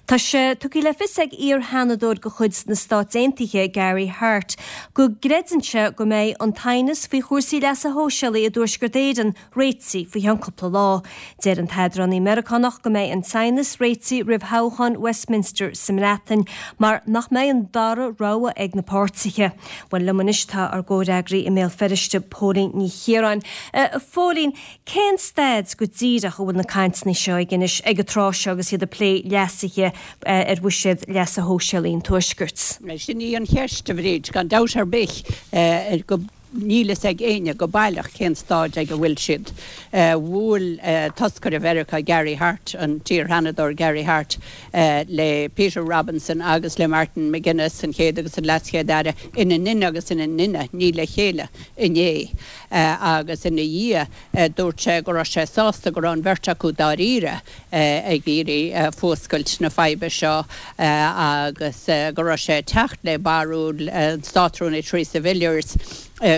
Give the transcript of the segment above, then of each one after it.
Tá sé tugtha le fios ag iar-sheanadóir de chuid na Stát Aontaithe, Gary Hart, go gcreideann sé go mbeidh an t-aighneas faoi chúrsaí leasa shóisialaigh i dTuaisceart Éireann réitithe faoi cheann cúpla lá. Deir an t-eadránaí Meiriceánach go mbeidh an t-aighneas réitithe roimh thoghchán Westminster sa mBreatain mar nach mbeidh an dara rogha ag na páirtithe. Bhuel, liom anois tá ár gcomhfhreagraí i mBéal Feirste, Póilín Ní Chiaráin. A Phóilín, cén staid go díreach a bhfuil na cainteanna seo ag anois ag an tráth seo agus iad ag plé leasuithe ar bhuiséad leasa shóisialaigh an Tuaiscirt? Sin í an cheist, a Bhríd, gan dabht ar bith. Go. Níl fhios ag éinne go baileach cén stáid ag a bhfuil siad. Bhuail toscaire Mheiriceá Gary Hart, an t-iar-sheanadóir Gary Hart, le Peter Robinson agus le Martin McGuinness, an Chéad agus an LeasChéad-Aire, ina nduine agus ina nduine, ní le chéile, inné. Agus ina dhiaidh dúirt sé go raibh sé sásta go raibh an bheirt acu dáiríre ag iarraidh fuascailt na faidhbe seo agus go raibh sé ag teacht le barúil an Státrúnaí Theresa Villiers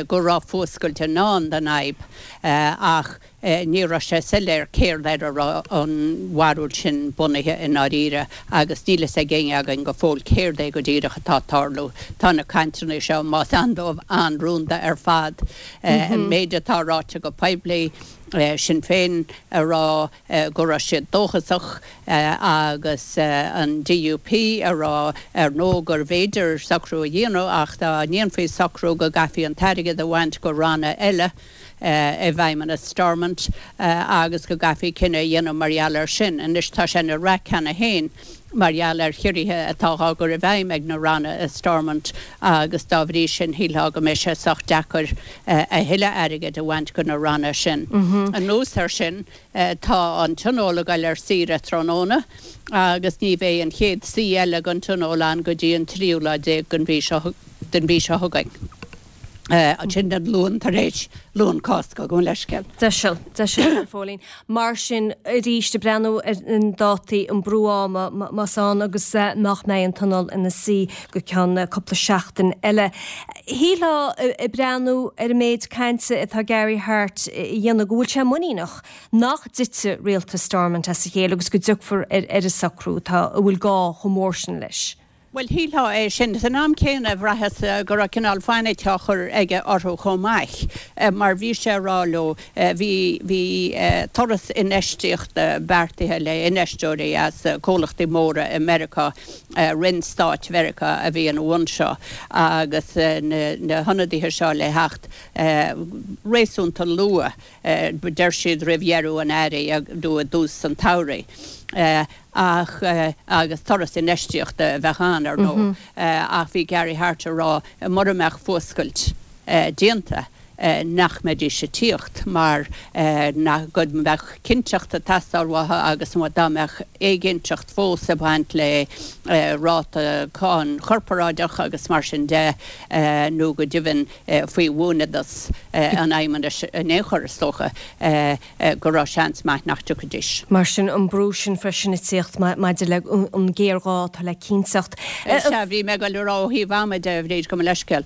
go raibh fuascailt i ndán don fhadhb ach ní raibh sé soiléir céard air a raibh an bharúil sin bunaithe i ndáiríre agus níl fhios ag éinne againn go fóill céard é go díreach atá ag tarlú. Tá na cainteanna seo, más ann dóibh, an-rúnda ar fad. An méid atá ráite go poiblí, Sinn Féin a rá go raibh siad dóchasach agus an DUP a rá ar ndóigh gurbh fhéidir socrú a dhéanamh ach dá ndéanfaí socrú go gcaithfí an t-airgead a bhaint go ranna eile i bhFeidhmeannas Stormont agus go gcaithfí cinneadh a dhéanamh mar gheall air sin. Anois tá sé ina raic cheana féin mar gheall ar chiorruithe atá á gcur i bhfeidhm ag na ranna i Stormont agus dá bhrí sin shílfeá go mbeidh sé sách deacair a thuilleadh airgid a bhaint go na ranna sin. Anuas air sin tá an Tionól ag goil ar saoire tráthnóna agus ní bheidh an chéad suí eile den Tionól ann go dtí an tríú lá déag den mhí seo chugainn. Sin an Luan tar éis Luan Cásca, gabh mo leithscéal. Deiseal, deiseal, a Phóilín. Mar sin, arís, ag breathnú ar na dátaí, an brú ama, más ann, agus nach mbeidh an Tionól ina suí go ceann cúpla seachtain eile. Shílfeá, ag breathnú ar an méid cainte atá Gary Hart a dhéanamh, go bhfuil sé muiníneach nach dtitfidh rialtas Stormont as a chéile agus go dtiocfar ar an socrú atá, a bhfuil gá chomh mór sin leis. Bhuel, shílfeá é sin. San am céanna, bhraitheas go raibh cineál fainic á chur aige orthu chomh maith, mar bhí sé ag rá leo, bhí, bhí turas infheistíochta beartaithe le infheisteoirí as comhlachtaí móra i Meiriceá, Roinn Stáit Mheiriceá a bhí ina bhun seo, agus na hionadaithe seo le theacht réasúnta luath, deir siad roimh dheireadh an earraigh nó i dtús an tsamhraidh. Ach, agus turas infheistíochta a bheadh ann, ar ndóigh, ach bhí Gary Hart ag rá mura mbeadh fuascailt déanta nach mbeidís ag tíocht mar nach, go mbeadh cinnteacht ag teastáil uathu agus dá mbeadh éiginnteacht fós ag baint le ráta cáin chorparáideach agus mar sin de nó go deimhin faoi bhuanfhodas an Fheidhmeannais in aon chor, is dócha. go raibh seans maith nach dtiocfaidís. Mar sin, an brú sin freisin ag tíocht maidir le an géarghá atá le cinnteacht. Sea, bhí mé ag dul a rá ó thaobh ama de, a Bhríd, gabh mo leithscéal,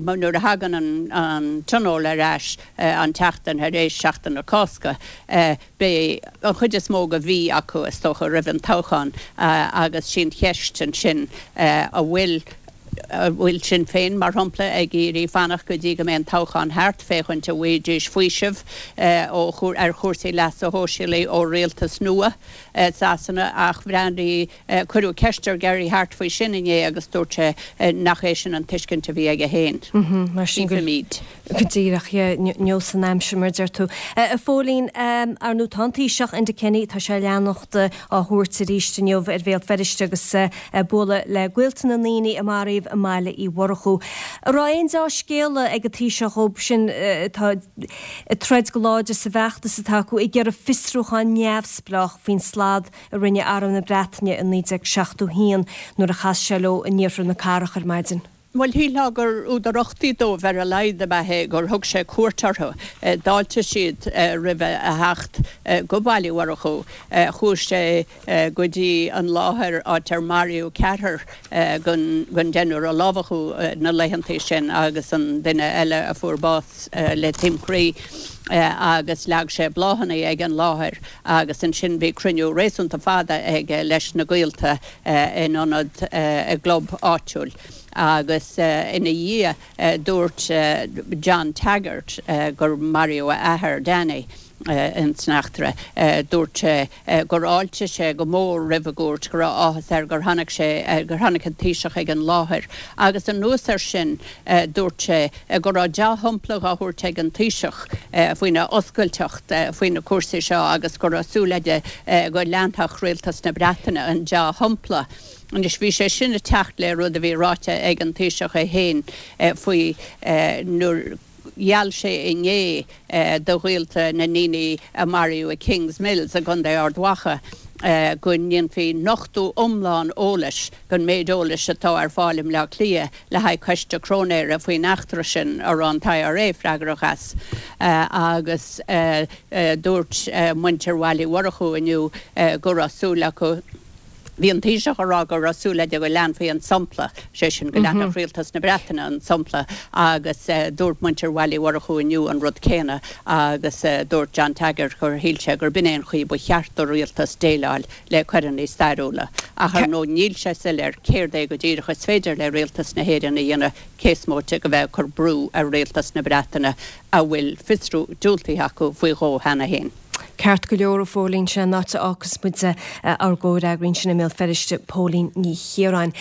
nuair a thagann an Tionól ar ais an tseachtain thar éis Seachtain na Cásca, beidh an chuid is mó de mhí acu, is dócha, roimh an toghchán agus sí an cheist ansin an bhfuil An bhfuil Sinn Féin, mar shampla, ag iarraidh fanacht go dtí go mbeidh an toghchán thart, féachaint an bhfaighidís faoiseamh ó ar chúrsaí leasa shóisialaigh ó rialtas nua Sasana? Ach bhreathnaigh, cuireadh ceist ar Gary Hart faoi sin inné agus dúirt sé nach é sin an tuiscint a bhí aige féin. Mar sin go. Chífimid. Go díreach, yeah, neosfaidh an aimsir, mar a deir tú. A Phóilín, ar ndóigh, tá an Taoiseach, Enda Kenny, tá sé ag leanacht á thabhairt arís inniu ar Bhéal Feirste agus ag bualadh le gaolta na ndaoine a maraíodh i mBaile Uí Mhurchú. An raibh aon deá-scéala ag an Taoiseach dhóibh sin atá ag troid go láidir sa bhfeachtas atá acu ag iarraidh fiosrúchán neamhspleách faoin slad a rinne Arm na Breataine i 1971 nuair a chas sé leo in iarthar na cathrach ar maidin? Bhuel, shílfeá gur údar uchtaigh dóibh ar a laghad ab ea é gur thug sé cuairt orthu. D'fháiltigh siad roimhe a theacht go Baile Uí Mhurchú. Chuaigh sé go dtí an láthair áit ar maraíodh ceathrar den deichniúr a lámhachadh na laethantaí sin agus an duine eile a fuair bás le taom croí. Agus leag sé bláthanna ag an láthair agus ansin bhí cruinniú réasúnta fada aige leis na gaolta in ionad i gclub áitiúil. Agus ina dhiaidh dúirt John Taggart gur maraíodh a athair, Danny, ins an eachtra. Dúirt sé gur fháiltigh sé go mór roimh an gcuairt, go raibh áthas air gur tháinig sé, gur tháinig an Taoiseach ag an láthair agus anuas air sin dúirt sé go raibh dea-shampla dhá thabhairt ag an Taoiseach faoina oscailteacht faoi na cúrsaí seo agus go raibh súil aige go leanfadh Rialtas na Breataine an dea-shampla. Anois bhí sé sin ag teacht le rud a bhí ráite ag an Taoiseach é féin faoi nuair, Gheall sé inné do ghaolta na ndaoine a maraíodh i Kingsmills i gContae Ard Mhacha go ndéanfaí nochtadh iomlán eolais den méid eolais atá ar fáil i mBleá Cliath le haghaidh coiste cróinéara faoin eachtra sin a raibh an t-IRA freagrach as. Agus dúirt muintir Bhaile Uí Mhurchú inniu go raibh súil acu Bhí an Taoiseach ag rá go raibh súil aige go leanfaí an sampla, sé sin go leanfadh rialtas na Breataine an sampla agus dúirt muintir Bhaile Uí Mhurchú inniu an rud céanna agus dúirt John Taggart gur shíl sé gurb in é an chaoi ba cheart do rialtas déileáil le coireanna stairiúla. Ach ar ndóigh níl sé soiléir céard é go díreach is féidir le rialtas na hÉireann a dhéanamh cé is móite de bheith ag cur brú ar rialtas na Breataine a bhfuil fiosrú diúltaithe acu faoi dhó cheana féin. Ceart go leor, a Phóilín, sin an áit a fhágfas muid ár gcomhfhreagraí ansin i mBéal Feirste, Póilín Ní Chiaráin.